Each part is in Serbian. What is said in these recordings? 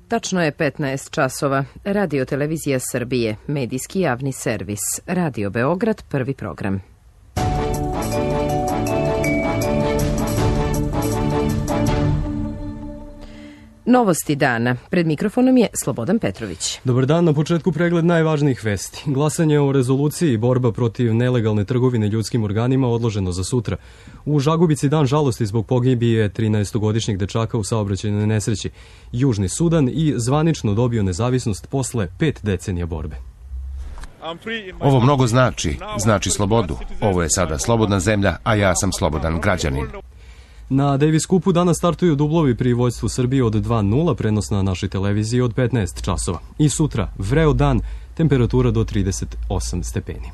Tačno je 15 časova. Radio Televizija Srbije, medijski javni servis. Radio Beograd, prvi program. Novosti dana. Pred mikrofonom je Slobodan Petrović. Dobar dan, na početku pregled najvažnijih vesti. Glasanje o rezoluciji i borba protiv nelegalne trgovine ljudskim organima odloženo za sutra. U Žagubici dan žalosti zbog pogibije 13-godišnjeg dečaka u saobraćajnoj nesreći. Južni Sudan i zvanično dobio nezavisnost posle 5 decenija borbe. Ovo mnogo znači slobodu. Ovo je sada slobodna zemlja, a ja sam slobodan građanin. Na Davis Cupu danas startuju dublovi pri vođstvu Srbije od 2:0, prenos na našoj televiziji od 15 časova. I sutra, vreo dan, temperatura do 38 stepeni.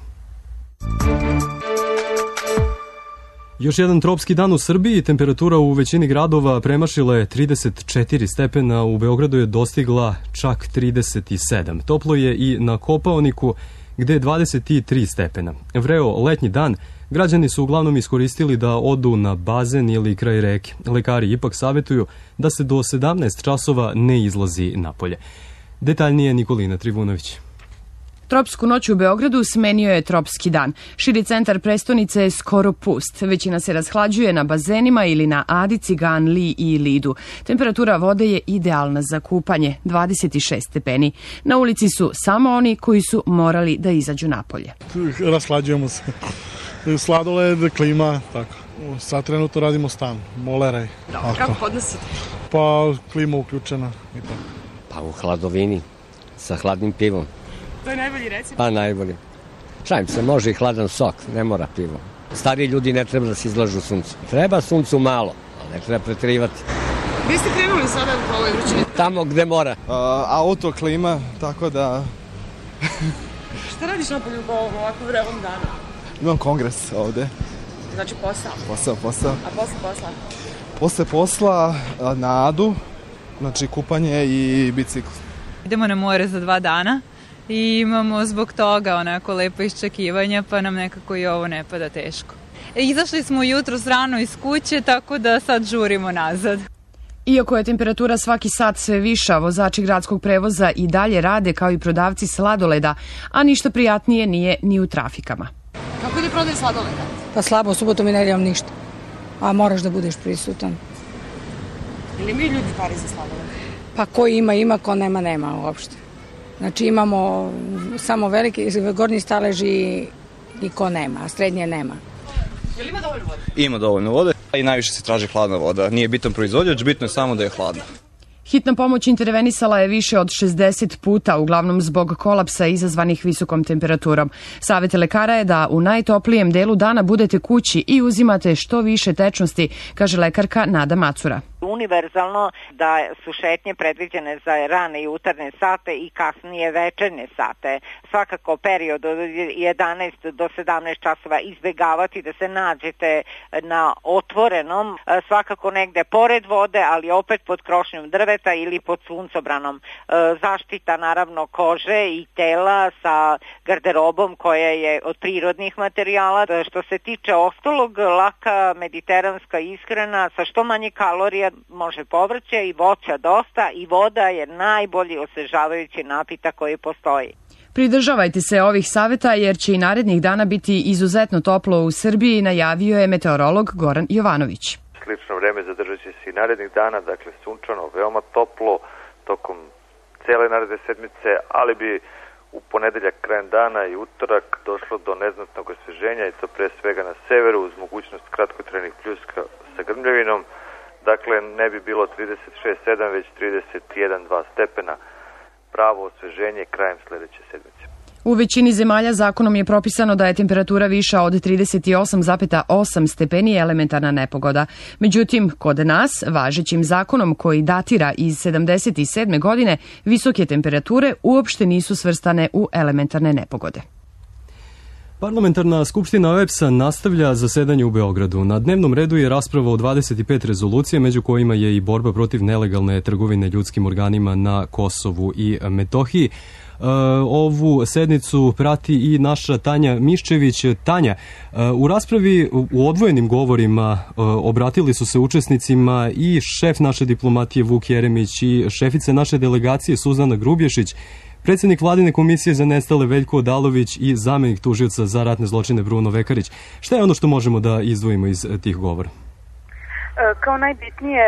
Još jedan tropski dan u Srbiji, temperatura u većini gradova premašila je 34 stepena, u Beogradu je dostigla čak 37. Toplo je i na Kopaoniku, gde je 23 stepena. Vreo letnji dan, građani su uglavnom iskoristili da odu na bazen ili kraj reke. Lekari ipak savjetuju da se do 17 časova ne izlazi napolje. Detaljnije Nikolina Trivunović. Tropsku noć u Beogradu smenio je tropski dan. Širi centar prestonice je skoro pust. Većina se rashlađuje na bazenima ili na Adi, Ciganliji i Lidu. Temperatura vode je idealna za kupanje, 26 stepeni. Na ulici su samo oni koji su morali da izađu napolje. Rashlađujemo se. Sladoled, klima, tako. Sad trenutno radimo stan, moleraj. Kako podnosite? Pa klima uključena i tako. Pa u hladovini, sa hladnim pivom. To je najbolji recept? Pa najbolji. Šalim se, može i hladan sok, ne mora pivo. Stariji ljudi ne treba da se izlažu suncu. Treba suncu malo, ali ne treba preterivati. Gde ste krenuli sada u ovoj vrućini? Tamo gde mora. Auto, klima, tako da... Šta radiš napolju po ovako vrevom danu? Imam kongres ovde. Znači posao? Posao. A posle posla? Posle posla na Adu, znači kupanje i bicikl. Idemo na more za 2 dana i imamo zbog toga onako lepo iščekivanja, pa nam nekako i ovo ne pada teško. Izašli smo jutros rano iz kuće, tako da sad žurimo nazad. Iako je temperatura svaki sat sve viša, vozači gradskog prevoza i dalje rade kao i prodavci sladoleda, a ništa prijatnije nije ni u trafikama. Kako ide prodaj sladoleda? Pa slabo, subotom i nedeljom ništa. A moraš da budeš prisutan. Ili mi ljudi pari za sladoled? Pa ko ima, ko nema uopšte. Znači imamo samo veliki, gornji staleži i ko nema, a srednje nema. Jel ima dovoljno vode? Ima dovoljno vode i najviše se traži hladna voda. Nije bitan proizvođač, bitno je samo da je hladna. Hitna pomoć intervenisala je više od 60 puta, uglavnom zbog kolapsa izazvanih visokom temperaturom. Savet lekara je da u najtoplijem delu dana budete kući i uzimate što više tečnosti, kaže lekarka Nada Macura. Univerzalno da su šetnje predviđene za rane jutarnje sate i kasnije večernje sate. Svakako period od 11 do 17 časova izbegavati da se nađete na otvorenom, svakako negde pored vode, ali opet pod krošnjom drveta ili pod suncobranom. Zaštita naravno kože i tela sa garderobom koja je od prirodnih materijala. Što se tiče ostalog, laka mediteranska ishrana sa što manje kalorija, može povrće i voća dosta i voda je najbolji osvežavajući napitak koji postoji. Pridržavajte se ovih saveta jer će i narednih dana biti izuzetno toplo u Srbiji, najavio je meteorolog Goran Jovanović. Slično vreme zadržat će se i narednih dana, dakle sunčano, veoma toplo tokom cele naredne sedmice, ali bi u ponedeljak krajem dana i utorak došlo do neznatnog osveženja i to pre svega na severu uz mogućnost kratkotrajnih pljuska sa grmljavinom. Dakle, ne bi bilo 36,7, već 31,2 stepena. Pravo osveženje krajem sledeće sedmice. U većini zemalja zakonom je propisano da je temperatura viša od 38,8 stepeni elementarna nepogoda. Međutim, kod nas, važećim zakonom koji datira iz 77. godine, visoke temperature uopšte nisu svrstane u elementarne nepogode. Parlamentarna skupština OEBS-a nastavlja zasedanje u Beogradu. Na dnevnom redu je rasprava o 25 rezolucija, među kojima je i borba protiv nelegalne trgovine ljudskim organima na Kosovu i Metohiji. Ovu sednicu prati i naša Tanja Miščević. Tanja, u raspravi u odvojenim govorima obratili su se učesnicima i šef naše diplomatije Vuk Jeremić i šefica naše delegacije Suzana Grubješić, predsjednik Vladine komisije za nestale Veljko Odalović i zamenik tužioca za ratne zločine Bruno Vekarić. Šta je ono što možemo da izdvojimo iz tih govora? Kao najbitnije,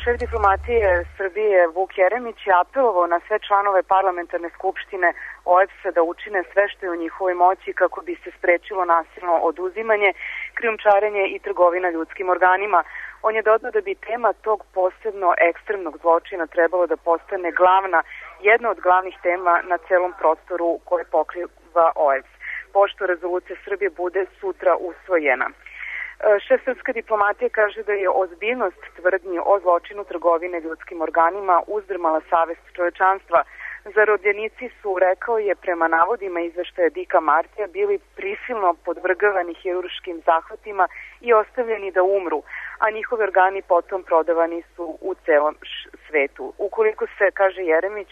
šef diplomatije Srbije Vuk Jeremić je apelovao na sve članove parlamentarne skupštine OEBS-a da učine sve što je u njihovoj moći kako bi se sprečilo nasilno oduzimanje, krijumčarenje i trgovina ljudskim organima. On je dodao da bi tema tog posebno ekstremnog zločina trebalo da postane jedna od glavnih tema na celom prostoru koje pokriva OEBS, pošto rezolucija Srbije bude sutra usvojena. Šef srpske diplomatije kaže da je ozbiljnost tvrdnji o zločinu trgovine ljudskim organima uzdrmala savest čovečanstva. Zarobljenici su, rekao je, prema navodima izveštaja Dika Martija, bili prisilno podvrgavani hirurškim zahvatima i ostavljeni da umru, a njihovi organi potom prodavani su u celom svetu. Ukoliko se, kaže Jeremić,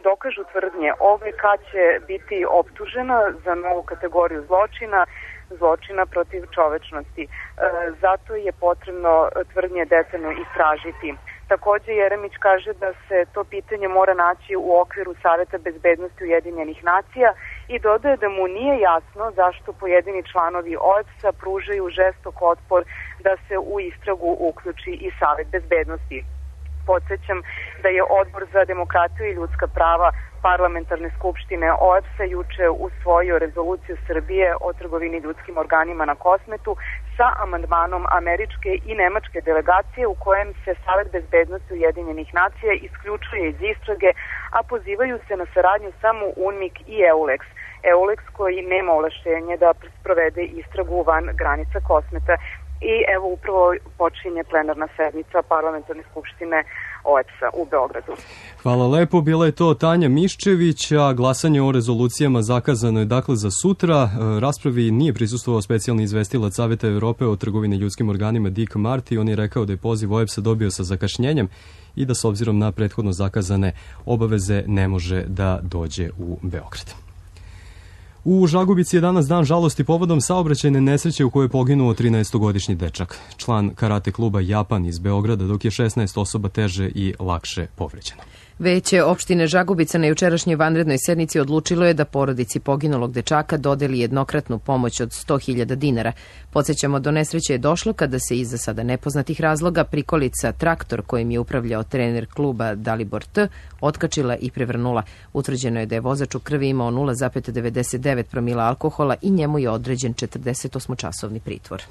dokažu tvrdnje, OVK će biti optužena za novu kategoriju zločina protiv čovečnosti. Zato je potrebno tvrdnje detaljno istražiti. Takođe, Jeremić kaže da se to pitanje mora naći u okviru Saveta bezbednosti Ujedinjenih nacija i dodaje da mu nije jasno zašto pojedini članovi OEBS-a pružaju žestok otpor da se u istragu uključi i Savet bezbednosti. Podsjećam da je Odbor za demokratiju i ljudska prava parlamentarne skupštine OEBS-a juče usvojio rezoluciju Srbije o trgovini ljudskim organima na Kosmetu sa amandmanom američke i nemačke delegacije u kojem se Savet bezbednosti Ujedinjenih nacija isključuje iz istrage, a pozivaju se na saradnju samo UNMIK i EULEX. EULEX koji nema ovlašćenje da sprovede istragu van granica Kosmeta. I evo upravo počinje plenarna sednica parlamentarne skupštine OEBS-a u Beogradu. Hvala lepo, bila je to Tanja Miščević, a glasanje o rezolucijama zakazano je dakle za sutra. Raspravi nije prisustvovao specijalni izvestilac Saveta Evrope o trgovini ljudskim organima Dick Marty. On je rekao da je poziv OEBS-a dobio sa zakašnjenjem i da s obzirom na prethodno zakazane obaveze ne može da dođe u Beograd. U Žagubici je danas dan žalosti povodom saobraćajne nesreće u kojoj je poginuo 13-godišnji dečak, član karate kluba Japan iz Beograda, dok je 16 osoba teže i lakše povređeno. Veće opštine Žagubica na jučerašnjoj vanrednoj sednici odlučilo je da porodici poginulog dečaka dodeli jednokratnu pomoć od 100.000 dinara. Podsjećamo, do nesreće je došlo kada se iz za sada nepoznatih razloga prikolica traktor kojim je upravljao trener kluba Dalibor T. otkačila i prevrnula. Utvrđeno je da je vozač u krvi imao 0,99 promila alkohola i njemu je određen 48-časovni pritvor.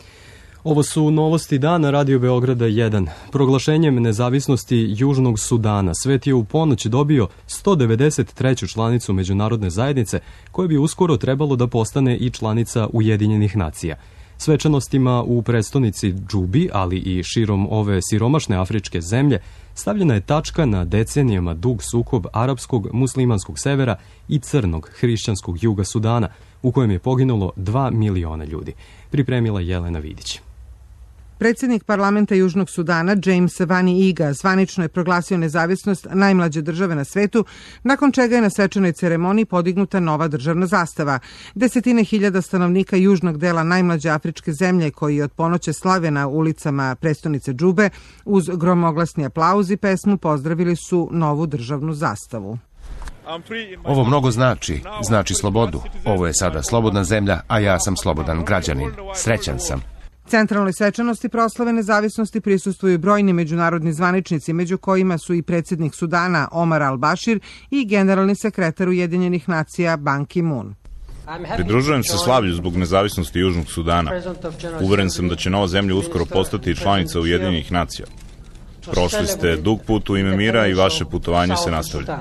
Ovo su novosti dana Radio Beograda 1. Proglašenjem nezavisnosti Južnog Sudana svet je u ponoć dobio 193. članicu međunarodne zajednice, koja bi uskoro trebalo da postane i članica Ujedinjenih nacija. Svečanostima u prestonici Džubi, ali i širom ove siromašne afričke zemlje, stavljena je tačka na decenijama dug sukob arapskog muslimanskog severa i crnog hrišćanskog juga Sudana, u kojem je poginulo 2 miliona ljudi. Pripremila Jelena Vidić. Predsjednik parlamenta Južnog Sudana, James Vani Iga, zvanično je proglasio nezavisnost najmlađe države na svetu, nakon čega je na svečanoj ceremoniji podignuta nova državna zastava. Desetine hiljada stanovnika južnog dela najmlađe afričke zemlje, koji od ponoće slave na ulicama prestonice Džube, uz gromoglasni aplauz i pesmu pozdravili su novu državnu zastavu. Ovo mnogo znači slobodu. Ovo je sada slobodna zemlja, a ja sam slobodan građanin. Srećan sam. Centralnoj svečanosti proslave nezavisnosti prisustvuju brojni međunarodni zvaničnici, među kojima su i predsjednik Sudana Omar al-Bashir i generalni sekretar Ujedinjenih nacija Ban Ki-moon. Pridružujem se slavlju zbog nezavisnosti Južnog Sudana. Uveren sam da će nova zemlja uskoro postati članica Ujedinjenih nacija. Prošli ste dug put u ime mira i vaše putovanje se nastavlja.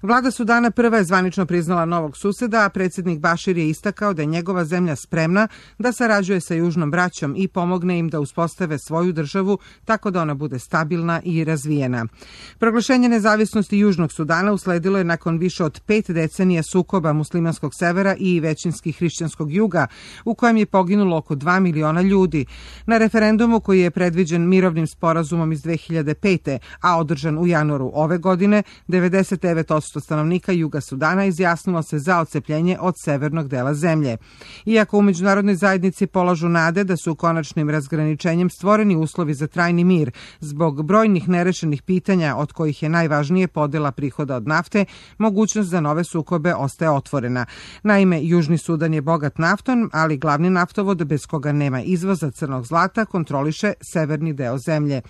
Vlada Sudana prva je zvanično priznala novog suseda, a predsjednik Bašir je istakao da je njegova zemlja spremna da sarađuje sa južnom braćom i pomogne im da uspostave svoju državu tako da ona bude stabilna i razvijena. Proglašenje nezavisnosti Južnog Sudana usledilo je nakon više od 5 decenija sukoba muslimanskog severa i većinski hrišćanskog juga, u kojem je poginulo oko 2 miliona ljudi. Na referendumu koji je predviđen mirovnim sporazumom iz 2005. a održan u januaru ove godine, 99% 70% stanovnika Juga Sudana izjasnilo se za odcepljenje od severnog dela zemlje. Iako u međunarodnoj zajednici polažu nade da su konačnim razgraničenjem stvoreni uslovi za trajni mir, zbog brojnih nerešenih pitanja, od kojih je najvažnije podela prihoda od nafte, mogućnost za nove sukobe ostaje otvorena. Naime, Južni Sudan je bogat naftom, ali glavni naftovod bez koga nema izvoza crnog zlata kontroliše severni deo zemlje.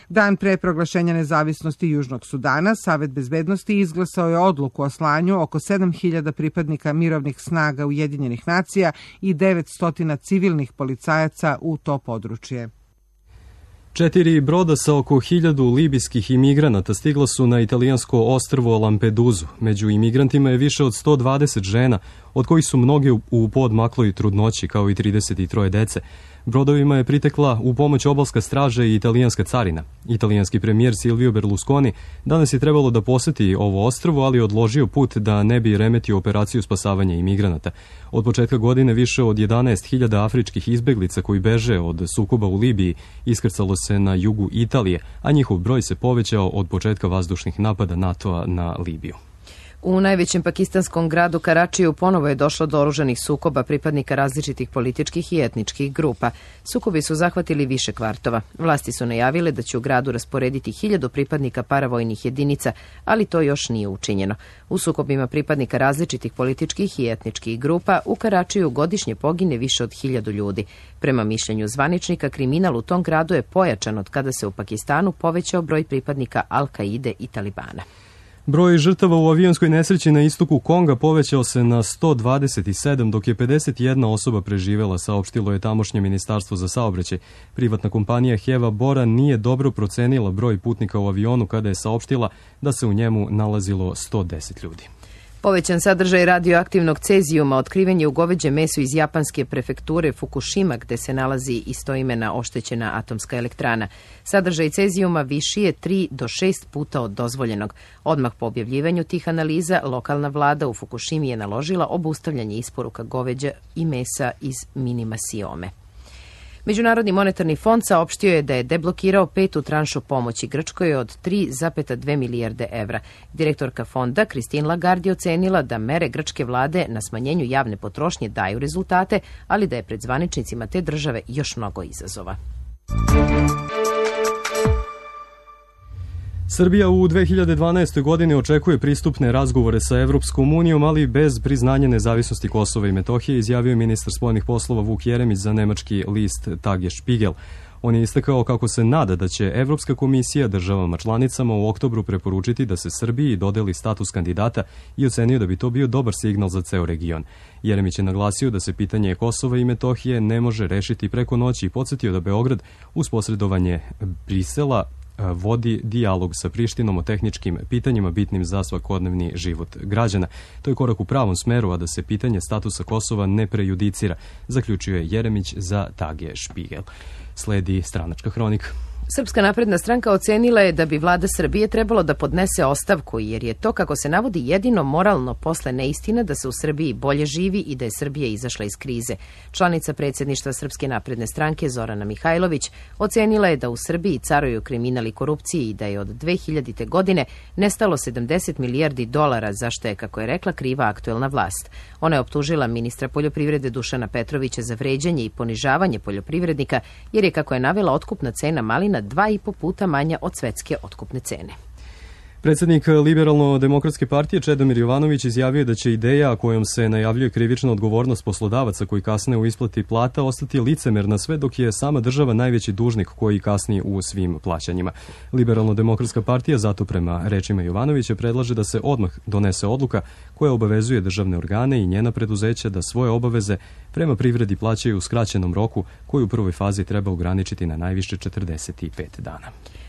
Dan pre proglašenja nezavisnosti Južnog Sudana, Savet bezbednosti izglasao je odluku o slanju oko 7.000 pripadnika mirovnih snaga Ujedinjenih nacija i 900 civilnih policajaca u to područje. 4 broda sa oko 1000 libijskih imigranata stigla su na italijansko ostrvo Lampeduzu. Među imigrantima je više od 120 žena, od kojih su mnoge u poodmakloj trudnoći, kao i 33 dece. Brodovima je pritekla u pomoć obalska straža i italijanska carina. Italijanski premijer Silvio Berlusconi danas je trebalo da poseti ovo ostrvo, ali je odložio put da ne bi remetio operaciju spasavanja imigranata. Od početka godine više od 11.000 afričkih izbeglica koji beže od sukoba u Libiji iskrcalo se na jugu Italije, a njihov broj se povećao od početka vazdušnih napada NATO-a na Libiju. U najvećem pakistanskom gradu Karačiju ponovo je došlo do oružanih sukoba pripadnika različitih političkih i etničkih grupa. Sukobi su zahvatili više kvartova. Vlasti su najavile da će u gradu rasporediti 1000 pripadnika paravojnih jedinica, ali to još nije učinjeno. U sukobima pripadnika različitih političkih i etničkih grupa u Karačiju godišnje pogine više od 1000 ljudi. Prema mišljenju zvaničnika, kriminal u tom gradu je pojačan od kada se u Pakistanu povećao broj pripadnika Al-Kaide i Talibana. Broj žrtava u avionskoj nesreći na istoku Konga povećao se na 127, dok je 51 osoba preživela, saopštilo je tamošnje ministarstvo za saobraćaj. Privatna kompanija Heva Bora nije dobro procenila broj putnika u avionu kada je saopštila da se u njemu nalazilo 110 ljudi. Povećan sadržaj radioaktivnog cezijuma otkriven je u goveđem mesu iz japanske prefekture Fukushima, gde se nalazi istoimena oštećena atomska elektrana. Sadržaj cezijuma viši je 3 do 6 puta od dozvoljenog. Odmah po objavljivanju tih analiza, lokalna vlada u Fukushimi je naložila obustavljanje isporuka goveđa i mesa iz Minimasiome. Međunarodni monetarni fond saopštio je da je deblokirao 5. tranšu pomoći Grčkoj od 3,2 milijarde evra. Direktorka fonda Christine Lagarde ocenila da mere grčke vlade na smanjenju javne potrošnje daju rezultate, ali da je pred zvaničnicima te države još mnogo izazova. Srbija u 2012. godini očekuje pristupne razgovore sa Evropskom unijom, ali bez priznanja nezavisnosti Kosova i Metohije, izjavio je ministar spoljnih poslova Vuk Jeremić za nemački list Tage Spiegel. On je istakao kako se nada da će Evropska komisija državama članicama u oktobru preporučiti da se Srbiji dodeli status kandidata i ocenio da bi to bio dobar signal za ceo region. Jeremić je naglasio da se pitanje Kosova i Metohije ne može rešiti preko noći i podsjetio da Beograd uz posredovanje Brisela vodi dijalog sa Prištinom o tehničkim pitanjima bitnim za svakodnevni život građana. To je korak u pravom smeru, a da se pitanje statusa Kosova ne prejudicira, zaključio je Jeremić za Tage Spiegel. Sledi stranačka hronika. Srpska napredna stranka ocenila je da bi vlada Srbije trebalo da podnese ostavku, jer je to, kako se navodi, jedino moralno posle neistina da se u Srbiji bolje živi i da je Srbija izašla iz krize. Članica predsjedništva Srpske napredne stranke Zorana Mihajlović ocenila je da u Srbiji caruju kriminal i korupcije i da je od 2000. godine nestalo 70 milijardi dolara, za što je, kako je rekla, kriva aktuelna vlast. Ona je optužila ministra poljoprivrede Dušana Petrovića za vređanje i ponižavanje poljoprivrednika, jer je, kako je navela, otkupna cena malina 2,5 puta manja od svetske otkupne cene. Predsjednik Liberalno-demokratske partije Čedomir Jovanović izjavio da će ideja kojom se najavljuje krivična odgovornost poslodavaca koji kasne u isplati plata ostati licemerna sve dok je sama država najveći dužnik koji kasni u svim plaćanjima. Liberalno-demokratska partija zato, prema rečima Jovanovića, predlaže da se odmah donese odluka koja obavezuje državne organe i njena preduzeća da svoje obaveze prema privredi plaćaju u skraćenom roku, koji u prvoj fazi treba ograničiti na najviše 45 dana.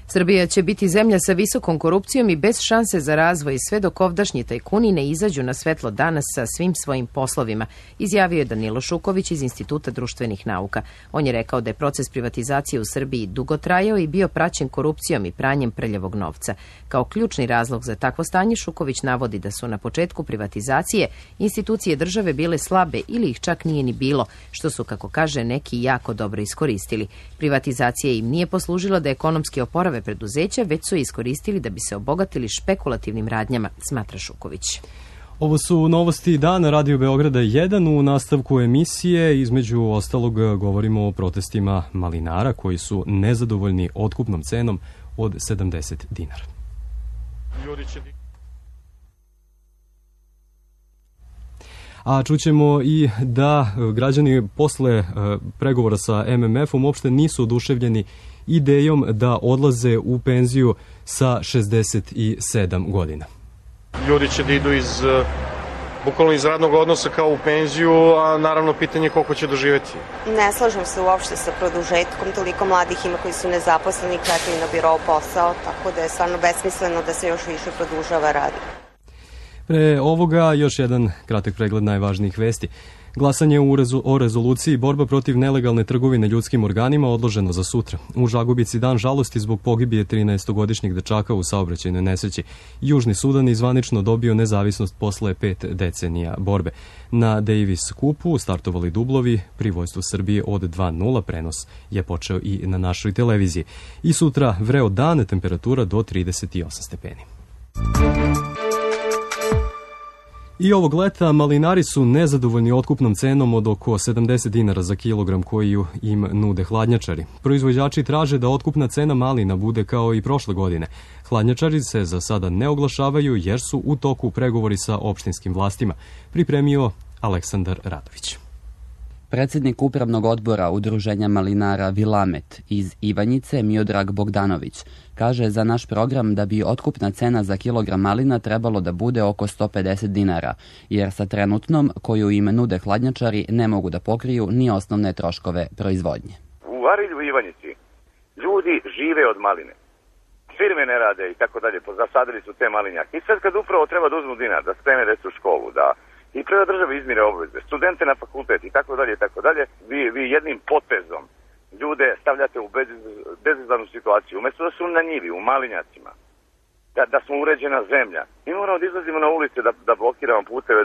Srbija će biti zemlja sa visokom korupcijom i bez šanse za razvoj sve dok ovdašnji tajkuni ne izađu na svetlo dana sa svim svojim poslovima, izjavio je Danilo Šuković iz Instituta društvenih nauka. On je rekao da je proces privatizacije u Srbiji dugo trajao i bio praćen korupcijom i pranjem prljavog novca. Kao ključni razlog za takvo stanje Šuković navodi da su na početku privatizacije institucije države bile slabe ili ih čak nije ni bilo, što su, kako kaže, neki jako dobro iskoristili. Privatizacija im nije poslužila da ekonomski oporavak prave preduzeća, već su iskoristili da bi se obogatili špekulativnim radnjama, smatra Šuković. Ovo su novosti dana Radio Beograda 1. U nastavku emisije, između ostalog, govorimo o protestima malinara koji su nezadovoljni otkupnom cenom od 70 dinara. A čućemo i da građani posle pregovora sa MMF-om uopšte nisu oduševljeni idejom da odlaze u penziju sa 67 godina. Ljudi će da idu bukvalno iz radnog odnosa kao u penziju, a naravno pitanje koliko će doživeti. Ne slažem se uopšte sa produžetkom, toliko mladih ima koji su nezaposleni, čekaju na biro posao, tako da je stvarno besmisleno da se još više produžava rad. Pre ovoga još jedan kratak pregled najvažnijih vesti. Glasanje o rezoluciji borba protiv nelegalne trgovine ljudskim organima odloženo za sutra. U Žagubici dan žalosti zbog pogibije 13-godišnjeg dečaka u saobraćajnoj nesreći. Južni Sudan je zvanično dobio nezavisnost posle 5 decenija borbe. Na Davis Cupu startovali dublovi pri vojstvu Srbije od 2:0. Prenos je počeo i na našoj televiziji. I sutra vreo dan, temperatura do 38 stepeni. I ovog leta malinari su nezadovoljni otkupnom cenom od oko 70 dinara za kilogram koju im nude hladnjačari. Proizvođači traže da otkupna cena malina bude kao i prošle godine. Hladnjačari se za sada ne oglašavaju jer su u toku pregovori sa opštinskim vlastima, pripremio Aleksandar Radović. Predsednik upravnog odbora Udruženja malinara Vilamet iz Ivanjice, Miodrag Bogdanović, kaže za naš program da bi otkupna cena za kilogram malina trebalo da bude oko 150 dinara, jer sa trenutnom koju im nude hladnjačari ne mogu da pokriju ni osnovne troškove proizvodnje. U Arilju i Ivanjici ljudi žive od maline. Firme ne rade i tako dalje, zasadili su te malinjake. I sad kad upravo treba da uzmu dinar, da spreme decu u školu, da i prema države izmire obveze, studente na fakultet i tako dalje, vi jednim potezom ljude stavljate u bezizlaznu situaciju. Umesto da su na njivi, u malinjacima, da smo uređena zemlja, mi moramo da izlazimo na ulice da blokiramo puteve,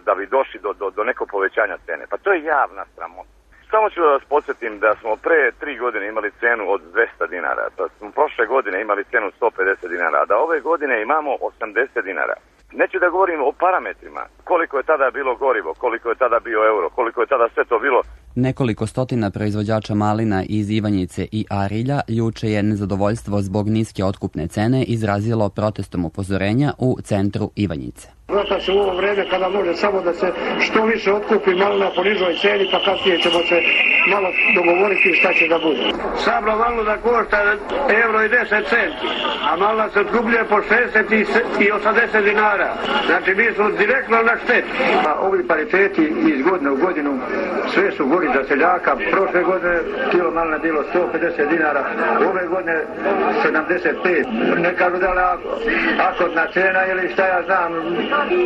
da bi došli do nekog povećanja cene. Pa to je javna sramota. Samo ću da vas podsjetim da smo pre 3 godine imali cenu od 200 dinara, da smo prošle godine imali cenu 150 dinara, a da ove godine imamo 80 dinara. Neću da govorim o parametrima, koliko je tada bilo gorivo, koliko je tada bio euro, koliko je tada sve to bilo. Nekoliko stotina proizvođača malina iz Ivanjice i Arilja juče je nezadovoljstvo zbog niske otkupne cene izrazilo protestom upozorenja u centru Ivanjice. Vrata se u ovo vreme kada može samo da se što više otkupi malina po nižoj ceni, pa kasnije ćemo se malo dogovoriti šta će da bude. Sabla malina košta euro i 10 centi, a malina se otkupljuje po 60 i 80 dinara. Znači mi smo direktno na šteti. Ovi pariteti iz godine u godinu sve su gori za seljaka. Prošle godine kilo malina bilo 150 dinara, ove godine 75. Ne kažu da li akordna cena ili šta ja znam,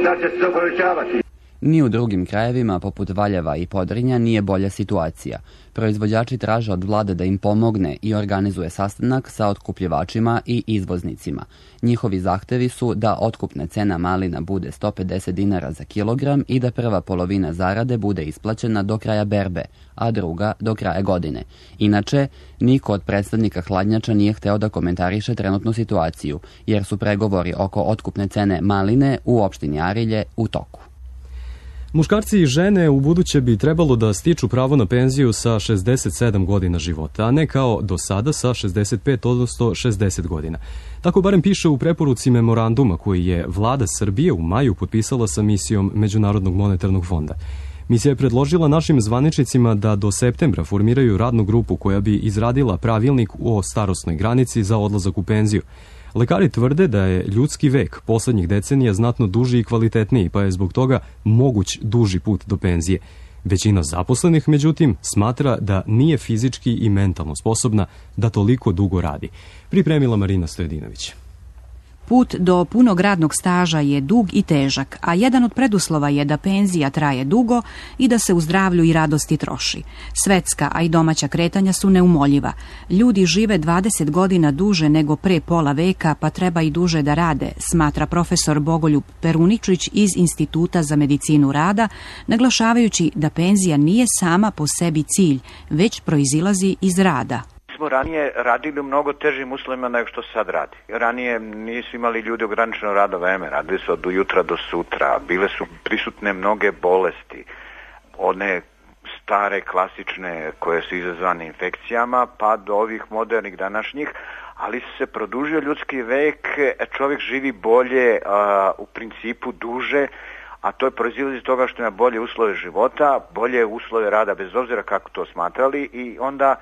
da će se to povećavati. Ni u drugim krajevima, poput Valjeva i Podrinja, nije bolja situacija. Proizvođači traže od vlade da im pomogne i organizuje sastanak sa otkupljivačima i izvoznicima. Njihovi zahtevi su da otkupna cena malina bude 150 dinara za kilogram i da prva polovina zarade bude isplaćena do kraja berbe, a druga do kraja godine. Inače, niko od predstavnika hladnjača nije hteo da komentariše trenutnu situaciju, jer su pregovori oko otkupne cene maline u opštini Arilje u toku. Muškarci i žene u buduće bi trebalo da stiču pravo na penziju sa 67 godina života, a ne kao do sada sa 65, odnosno 60 godina. Tako barem piše u preporuci memoranduma koji je vlada Srbije u maju potpisala sa misijom Međunarodnog monetarnog fonda. Misija je predložila našim zvaničnicima da do septembra formiraju radnu grupu koja bi izradila pravilnik o starosnoj granici za odlazak u penziju. Lekari tvrde da je ljudski vek poslednjih decenija znatno duži i kvalitetniji, pa je zbog toga moguć duži put do penzije. Većina zaposlenih, međutim, smatra da nije fizički i mentalno sposobna da toliko dugo radi. Pripremila Marina Stojedinović. Put do punog radnog staža je dug i težak, a jedan od preduslova je da penzija traje dugo i da se u zdravlju i radosti troši. Svetska, a i domaća kretanja su neumoljiva. Ljudi žive 20 godina duže nego pre pola veka, pa treba i duže da rade, smatra profesor Bogoljub Peruničić iz Instituta za medicinu rada, naglašavajući da penzija nije sama po sebi cilj, već proizilazi iz rada. smo ranije radili u mnogo težim uslovima nego što se sad radi. Ranije nisu imali ljudi ograničeno radno vreme, radili su od jutra do sutra, bile su prisutne mnoge bolesti, one stare, klasične koje su izazvane infekcijama, pa do ovih modernih današnjih, ali se produžio ljudski vek, čovjek živi bolje, u principu duže, a to je proizilazi iz toga što ima bolje uslove života, bolje uslove rada, bez obzira kako to smatrali, i onda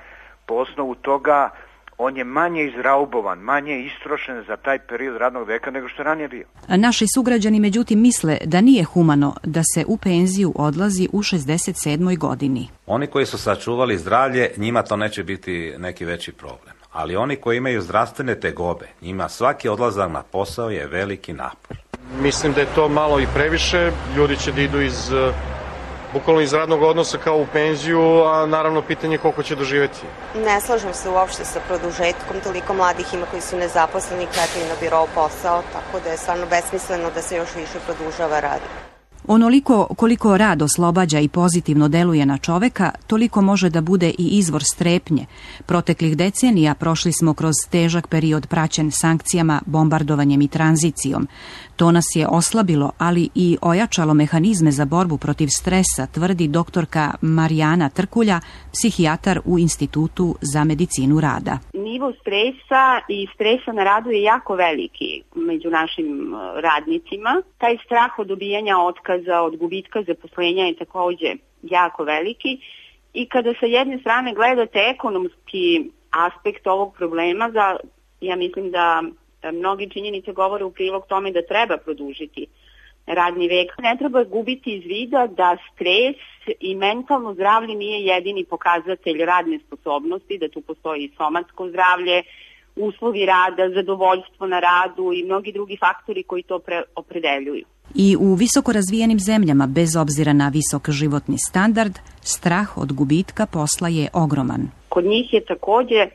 po osnovu toga on je manje izraubovan, manje istrošen za taj period radnog veka nego što je ranije bio. Naši sugrađani međutim misle da nije humano da se u penziju odlazi u 67. godini. Oni koji su sačuvali zdravlje, njima to neće biti neki veći problem. Ali oni koji imaju zdravstvene tegobe, njima svaki odlazak na posao je veliki napor. Mislim da je to malo i previše, ljudi će da idu bukvalno iz radnog odnosa kao u penziju, a naravno pitanje je koliko će doživeti. Ne slažem se uopšte sa produžetkom, toliko mladih ima koji su nezaposleni, čekaju na birou posao, tako da je stvarno besmisleno da se još više produžava rad. Onoliko koliko rad oslobađa i pozitivno deluje na čoveka, toliko može da bude i izvor strepnje. Proteklih decenija prošli smo kroz težak period praćen sankcijama, bombardovanjem i tranzicijom. To nas je oslabilo, ali i ojačalo mehanizme za borbu protiv stresa, tvrdi doktorka Marijana Trkulja, psihijatar u Institutu za medicinu rada. Nivo stresa i stresa na radu je jako veliki među našim radnicima. Taj strah od dobijanja otkaza, od gubitka zaposlenja je takođe jako veliki. I kada sa jedne strane gledate ekonomski aspekt ovog problema, ja mislim da mnogi činjenice govore u prilog tome da treba produžiti radni vek. Ne treba gubiti iz vida da stres i mentalno zdravlje nije jedini pokazatelj radne sposobnosti, da tu postoji i somatsko zdravlje, uslovi rada, zadovoljstvo na radu i mnogi drugi faktori koji to opredeljuju. I u visoko razvijenim zemljama, bez obzira na visok životni standard, strah od gubitka posla je ogroman. Kod njih je takođe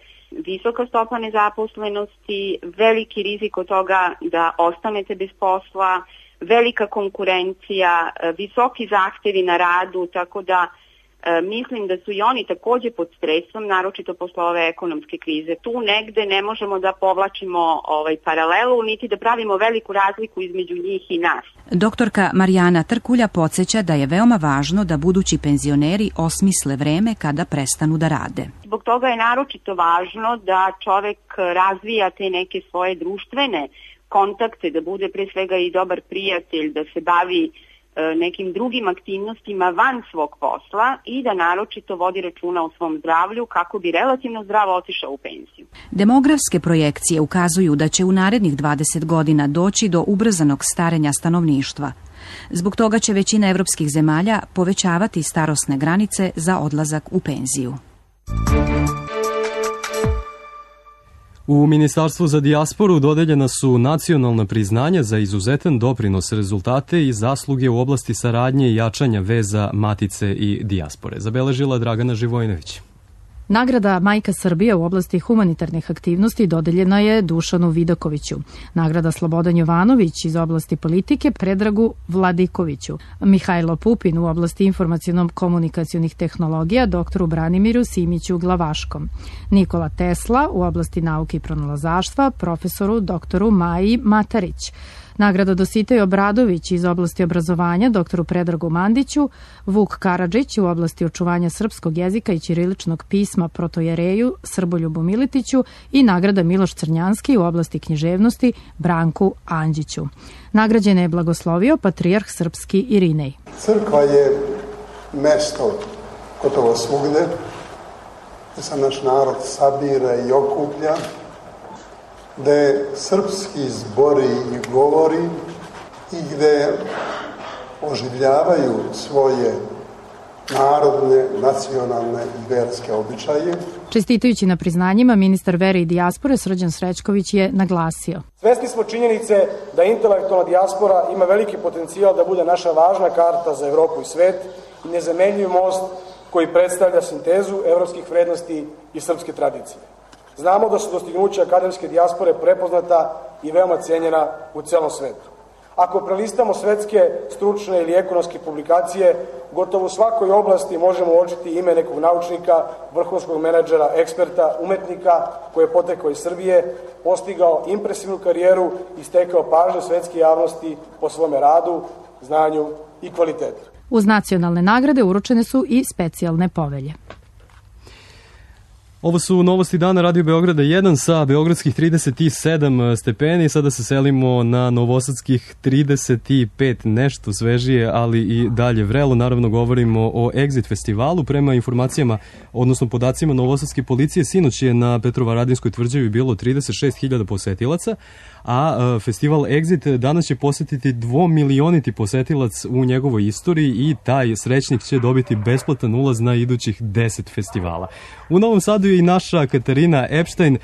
visoka stopa nezaposlenosti, veliki rizik od toga da ostanete bez posla, velika konkurencija, visoki zahtevi na radu, tako da mislim da su i oni takođe pod stresom, naročito posle ove ekonomske krize. Tu negde ne možemo da povlačimo paralelu, niti da pravimo veliku razliku između njih i nas. Doktorka Marijana Trkulja podsjeća da je veoma važno da budući penzioneri osmisle vreme kada prestanu da rade. Zbog toga je naročito važno da čovek razvija te neke svoje društvene kontakte, da bude pre svega i dobar prijatelj, da se bavi nekim drugim aktivnostima van svog posla i da naročito vodi računa o svom zdravlju kako bi relativno zdravo otišao u penziju. Demografske projekcije ukazuju da će u narednih 20 godina doći do ubrzanog starenja stanovništva. Zbog toga će većina evropskih zemalja povećavati starosne granice za odlazak u penziju. U Ministarstvu za dijasporu dodeljena su nacionalna priznanja za izuzetan doprinos, rezultate i zasluge u oblasti saradnje i jačanja veza matice i dijaspore. Zabeležila Dragana Živojinović. Nagrada Majka Srbije u oblasti humanitarnih aktivnosti dodeljena je Dušanu Vidakoviću. Nagrada Slobodan Jovanović iz oblasti politike Predragu Vladikoviću. Mihajlo Pupin u oblasti informaciono-komunikacionih tehnologija doktoru Branimiru Simiću Glavaškom. Nikola Tesla u oblasti nauke i pronalazaštva profesoru doktoru Maji Matarić. Nagrada Dositej Obradović iz oblasti obrazovanja doktoru Predragu Mandiću, Vuk Karadžić u oblasti očuvanja srpskog jezika i ćiriličnog pisma protojereju Srboljubu Militiću i nagrada Miloš Crnjanski u oblasti književnosti Branku Andžiću. Nagrađene je blagoslovio patrijarh srpski Irinej. Crkva je mesto gotovo svugde gde se naš narod sabira i okuplja, gde srpski zbori i govori i gde oživljavaju svoje narodne, nacionalne i verske običaje. Čestitajući na priznanjima, ministar vere i dijaspore Srđan Srećković je naglasio. Svesni smo činjenice da intelektualna dijaspora ima veliki potencijal da bude naša važna karta za Evropu i svet i nezamenljiv most koji predstavlja sintezu evropskih vrednosti i srpske tradicije. Znamo da su dostignuća akademske dijaspore prepoznata i veoma cijenjena u celom svetu. Ako prelistamo svetske, stručne ili ekonomske publikacije, gotovo u svakoj oblasti možemo uočiti ime nekog naučnika, vrhunskog menadžera, eksperta, umetnika koji je potekao iz Srbije, postigao impresivnu karijeru i stekao pažnju svetske javnosti po svome radu, znanju i kvalitetu. Uz nacionalne nagrade uručene su i specijalne povelje. Ovo su novosti dana Radio Beograda 1 sa beogradskih 37 stepeni. Sada se selimo na novosadskih 35, nešto svežije, ali i dalje vrelo. Naravno govorimo o Exit festivalu. Prema informacijama, odnosno podacima novosadske policije, sinoć je na Petrovaradinskoj tvrđavi bilo 36.000 posetilaca, a festival Exit danas će posetiti 2.000.000 posetilac u njegovoj istoriji i taj srećnik će dobiti besplatan ulaz na idućih 10 festivala. U Novom Sadu je i naša Katarina Epstein.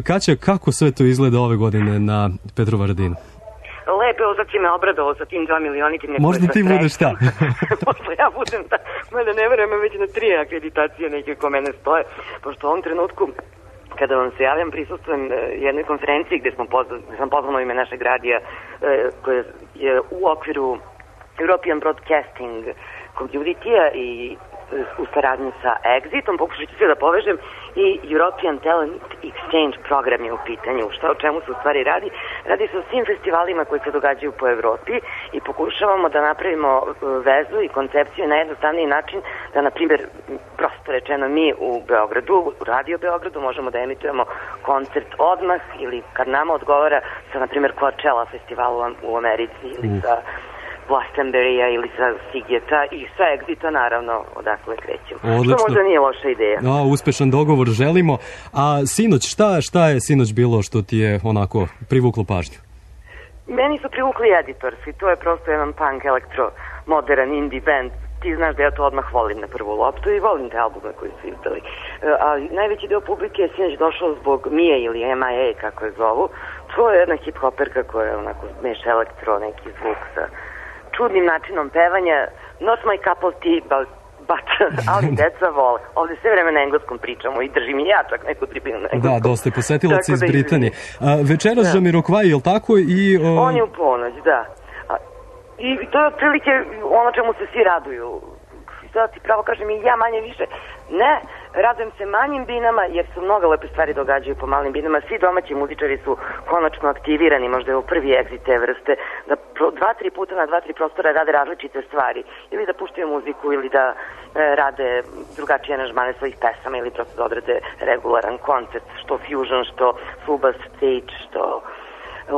Kaća, kako sve to izgleda ove godine na Petrovaradinu? Lepo, ovo sad si me obradovao sa tim 2.000.000. Možda ti budeš šta? Možda ja budem ta, mada ne verujem, već na 3 akreditacije neke ko mene stoje, pošto u ovom trenutku kada vam se javljam, prisustvujem jednoj konferenciji gde sam pozvano ime našeg radija koje je u okviru European Broadcasting Community-a i u saradnji sa Exitom, pokušat ću sve da povežem, i European Talent Exchange program je u pitanju. O čemu se u stvari radi? Radi se o svim festivalima koji se događaju po Evropi i pokušavamo da napravimo vezu i koncepciju na jednostavniji način da, na primjer, prosto rečeno, mi u Beogradu, u Radio Beogradu, možemo da emitujemo koncert odmah ili kad nama odgovara sa, na primjer, Coachella festivalu u Americi ili sa Glastonbury-a ili sa Sigeta i sa Exita, naravno, odakle krećemo. Odlično. Što možda nije loša ideja. Uspešan dogovor želimo. A sinoć, šta je sinoć bilo što ti je onako privuklo pažnju? Meni su privukli Editors i to je prosto jedan punk, elektro, modern, indie band. Ti znaš da ja to odmah volim na prvu loptu i volim te albume koji su izdali. A najveći deo publike je sinoć došao zbog Mije ili MIA, kako je zovu. To je jedna hip-hoperka koja onako meša elektro, neki zvuk sa čudnim načinom pevanja. Not my cup of tea, but ali deca vole. Ovde sve vreme na engleskom pričamo i držim i ja čak neku tribinu na engleskom. Da, dosta je posetilaca iz Britanije. Večeras Jamiroquai, je li tako? On je u ponoć, da. I to je otprilike ono čemu se svi raduju. Da ti pravo kažem, i ja manje više ne, radujem se manjim binama jer su mnogo lepe stvari događaju po malim binama. Svi domaći muzičari su konačno aktivirani, možda je ovo prvi Exit te vrste, da 2-3 puta na 2-3 prostora rade različite stvari, ili da puštaju muziku ili da rade drugačije aranžmane svojih pesama ili prosto da odrade regularan koncert, što fusion, što full stage, što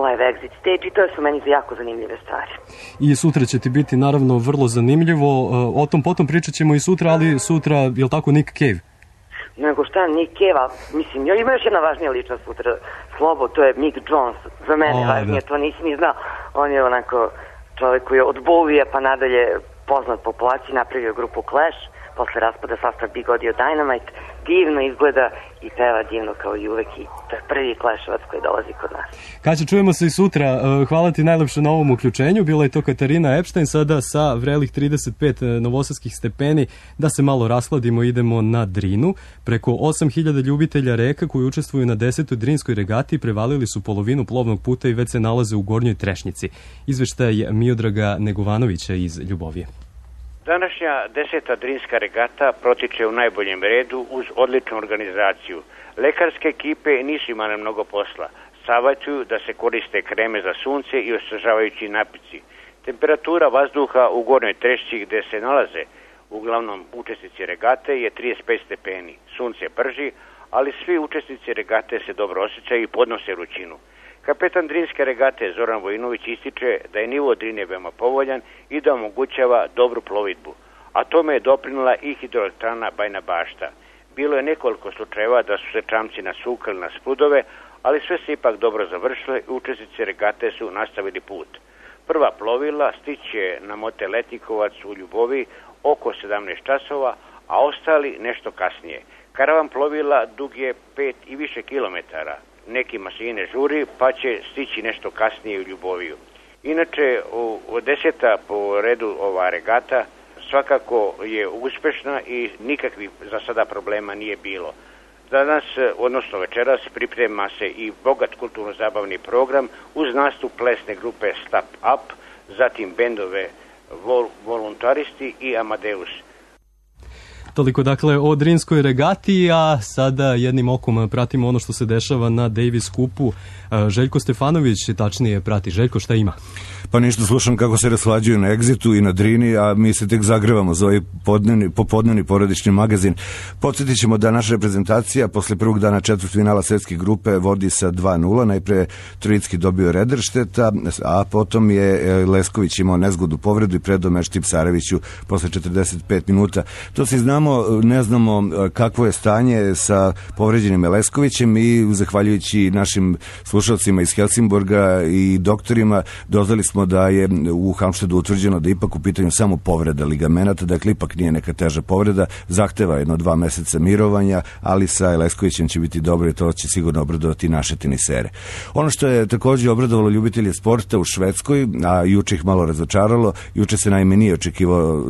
live Exit stage, i to su meni jako zanimljive stvari. I sutra će ti biti naravno vrlo zanimljivo, o tom potom pričat ćemo i sutra, ali sutra, je li tako, Nick Cave? Nego šta, Nick Cave, mislim, ima još jedna važnija ličnost sutra, Slobo, to je Mick Jones, za mene važnije, to nisi ni znao, on je onako čovjek koji je od Bowieja pa nadalje poznat populaciji, napravio grupu Clash, posle raspada sastav Big Audio Dynamite, divno izgleda i peva divno kao i uvek, i to je prvi Clashovac koji dolazi kod nas. Kaća, čujemo se i sutra. Hvala ti najlepše na ovom uključenju. Bila je to Katarina Epstein, sada sa vrelih 35 novosadskih stepeni. Da se malo raskladimo, idemo na Drinu. Preko 8.000 ljubitelja reka koji učestvuju na 10. Drinskoj regati prevalili su polovinu plovnog puta i već se nalaze u Gornjoj Trešnjici. Izveštaj Miodraga Negovanovića iz Ljubovije. Današnja 10. Drinska regata protiče u najboljem redu uz odličnu organizaciju. Lekarske ekipe nisu imale mnogo posla. Savjetuju da se koriste kreme za sunce i osvežavajući napici. Temperatura vazduha u Gornjoj Trešći gde se nalaze uglavnom učesnici regate je 35 stepeni. Sunce prži, ali svi učesnici regate se dobro osjećaju i podnose vrućinu. Kapetan Drinske regate Zoran Vojinović ističe da je nivo Drine veoma povoljan i da omogućava dobru plovidbu, a tome je doprinula i hidroelektrana Bajna Bašta. Bilo je nekoliko slučajeva da su se čamci nasukali na sprudove, ali sve se ipak dobro završilo i učesnici regate su nastavili put. Prva plovila stiće na motel Letnikovac u Ljubovi oko 17 časova, a ostali nešto kasnije. Karavan plovila dug je 5 i više kilometara. Neki mašine žuri, pa će stići nešto kasnije u Ljuboviju. Inače, od 10. po redu ova regata svakako je uspešna i nikakvih za sada problema nije bilo. Danas, odnosno večeras, priprema se i bogat kulturno-zabavni program uz nastup plesne grupe Step Up, zatim bendove Voluntaristi i Amadeus. Toliko dakle o Drinskoj regati, a sada jednim okom pratimo ono što se dešava na Davis Cupu. Željko Stefanović tačnije prati. Željko, šta ima? Pa ništa, slušam kako se raslađuju na Exitu i na Drini, a mi se tek zagrevamo za ovaj popodnevni porodični magazin. Podsjetit ćemo da naša reprezentacija posle prvog dana četvrtfinala svetske grupe vodi sa 2-0. Najpre Trojicki dobio Rederšteta, a potom je Lesković imao nezgodnu povredu i predao meč Tipsareviću posle 45 minuta. To se znamo, ne znamo kakvo je stanje sa povređenim Leskovićem i zahvaljujući našim slušalcima iz Helsingborga i doktorima doznali smo da je u Halmštedu utvrđeno da ipak u pitanju samo povreda ligamenata, dakle ipak nije neka teža povreda, zahteva 1-2 meseca mirovanja, ali sa Leskovićem će biti dobro i to će sigurno obradovati naše tenisere. Ono što je također obradovalo ljubitelje sporta u Švedskoj, a juče ih malo razočaralo, juče se naime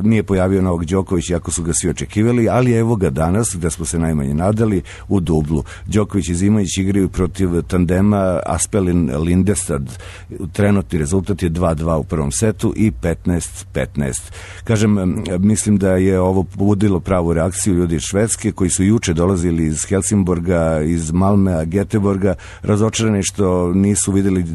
nije pojavio Novak Đoković, iako su ga svi očekivali, ali evo ga danas, gde smo se najmanje nadali, u dublu. Đoković i Zimović igraju protiv tandema Aspelin-Lindestad. Trenutni rezultat je 2-2 u prvom setu i 15-15. Kažem, mislim da je ovo pobudilo pravu reakciju ljudi iz Švedske, koji su juče dolazili iz Helsingborga, iz Malmea, Göteborga, razočarani što nisu videli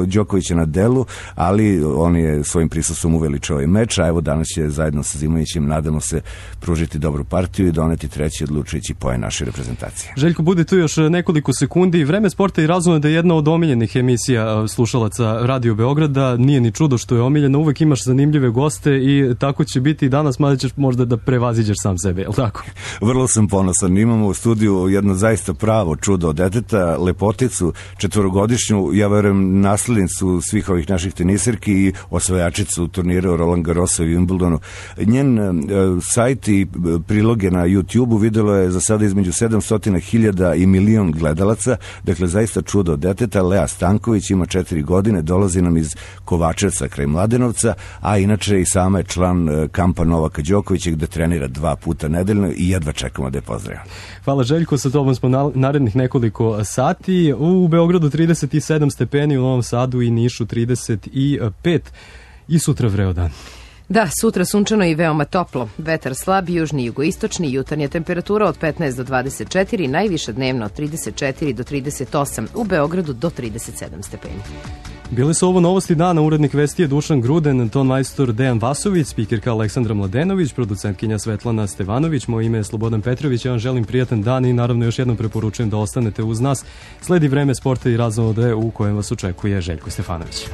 Đokovića na delu, ali on je svojim prisustvom uveličao ovaj meč, a evo danas će zajedno sa Zimovićem, nadamo se, pružiti dobru partiju i doneti treći odlučujući poen naše reprezentacije. Željko, bude tu još nekoliko sekundi. Vreme sporta i razumno da je jedna od omiljenih emisija slušalaca Radio Beograda. Nije ni čudo što je omiljena, uvek imaš zanimljive goste i tako će biti i danas, mada ćeš možda da prevaziđeš sam sebe, je li tako? Vrlo sam ponosan. Imamo u studiju jedno zaista pravo čudo od deteta, lepoticu, 4-godišnju, ja verujem naslednicu svih ovih naših tenisirki i osvajačicu turnira Roland Garrosa i Wimbledonu. Njen sajt i priloge na YouTube-u videlo je za sada između 700.000 i milion gledalaca, dakle zaista čudo od deteta. Lea Stanković ima 4 godine, dolazi nam iz Kovačevca kraj Mladenovca, a inače i sama je član kampa Novaka Đokovića gde trenira 2 puta nedeljno i jedva čekamo da je pozdravimo. Hvala Željko, sa tobom smo narednih nekoliko sati. U Beogradu 37 stepeni, u Novom Sadu i Nišu 35 i sutra vreo dan. Da, sutra sunčano i veoma toplo. Vetar slab, južni i jugoistočni, jutarnja temperatura od 15 do 24, najviša dnevno od 34 do 38, u Beogradu do 37 stepeni. Bile su ovo novosti dana, urednik vesti je Dušan Gruden, ton majstor Dejan Vasović, spikerka Aleksandra Mladenović, producentkinja Svetlana Stevanović, moje ime je Slobodan Petrović, ja vam želim prijatan dan i naravno još jednom preporučujem da ostanete uz nas. Sledi vreme sporta i razonode u kojem vas očekuje Željko Stefanović.